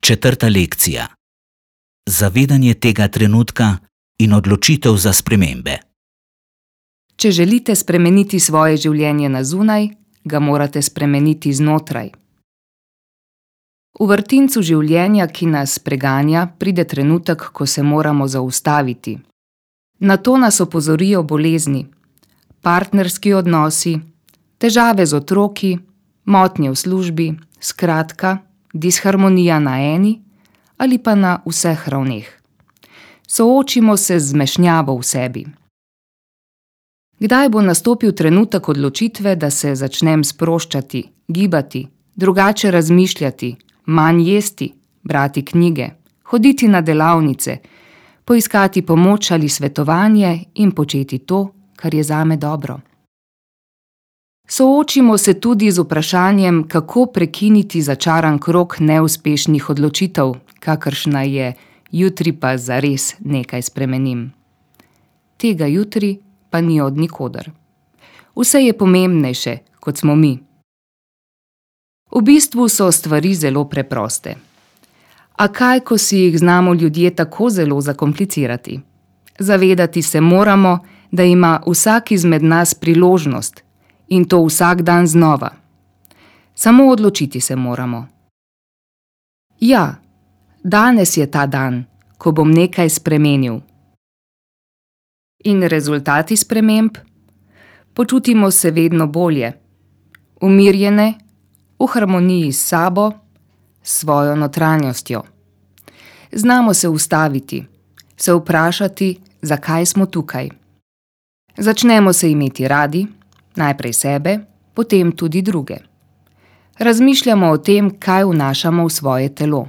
Četrta lekcija. Zavedanje tega trenutka in odločitev za spremembe. Če želite spremeniti svoje življenje na zunaj, ga morate spremeniti znotraj. V vrtincu življenja, ki nas preganja, pride trenutek, ko se moramo zaustaviti. Na to nas opozorijo bolezni, partnerski odnosi, težave z otroki, motnje v službi, skratka, disharmonija na eni ali pa na vseh ravneh. Soočimo se z zmešnjavo v sebi. Kdaj bo nastopil trenutek odločitve, da se začnem sproščati, gibati, drugače razmišljati, manj jesti, brati knjige, hoditi na delavnice, poiskati pomoč ali svetovanje in početi to, kar je zame dobro. Soočimo se tudi z vprašanjem, kako prekiniti začaran krog neuspešnih odločitev, kakršna je jutri pa zares nekaj spremenim. Tega jutri pa ni od nikoder. Vse je pomembnejše, kot smo mi. V bistvu so stvari zelo preproste. A kaj, ko si jih znamo ljudje tako zelo zakomplicirati? Zavedati se moramo, da ima vsak izmed nas priložnost in to vsak dan znova. Samo odločiti se moramo. Ja, danes je ta dan, ko bom nekaj spremenil. In rezultati sprememb? Počutimo se vedno bolje, umirjene, v harmoniji s sabo, s svojo notranjostjo. Znamo se ustaviti, se vprašati, zakaj smo tukaj. Začnemo se imeti radi, najprej sebe, potem tudi druge. Razmišljamo o tem, kaj vnašamo v svoje telo.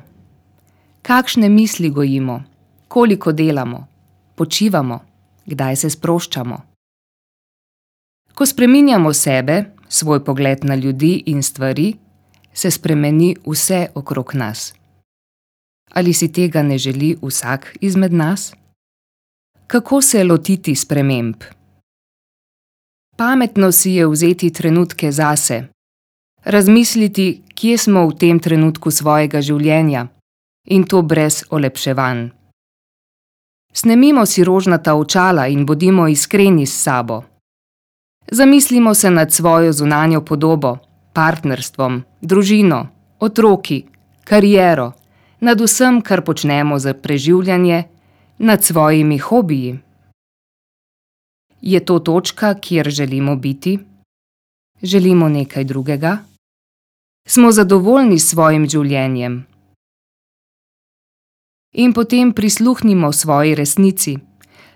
Kakšne misli gojimo, koliko delamo, počivamo, kdaj se sproščamo. Ko spreminjamo sebe, svoj pogled na ljudi in stvari, se spremeni vse okrog nas. Ali si tega ne želi vsak izmed nas? Kako se lotiti sprememb? Pametno si je vzeti trenutke zase, razmisliti, kje smo v tem trenutku svojega življenja, in to brez olepševanj. Snemimo si rožnata očala in bodimo iskreni s sabo. Zamislimo se nad svojo zunanjo podobo, partnerstvom, družino, otroki, kariero, nad vsem, kar počnemo za preživljanje, nad svojimi hobiji. Je to točka, kjer želimo biti? Želimo nekaj drugega? Smo zadovoljni s svojim življenjem? In potem prisluhnimo svoji resnici,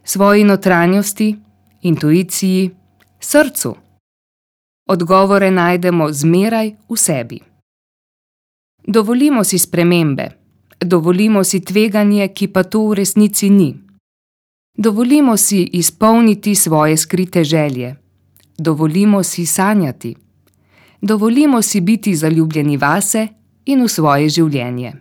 svoji notranjosti, intuiciji, srcu. Odgovore najdemo zmeraj v sebi. Dovolimo si spremembe, dovolimo si tveganje, ki pa to v resnici ni. Dovolimo si izpolniti svoje skrite želje. Dovolimo si sanjati. Dovolimo si biti zaljubljeni vase in v svoje življenje.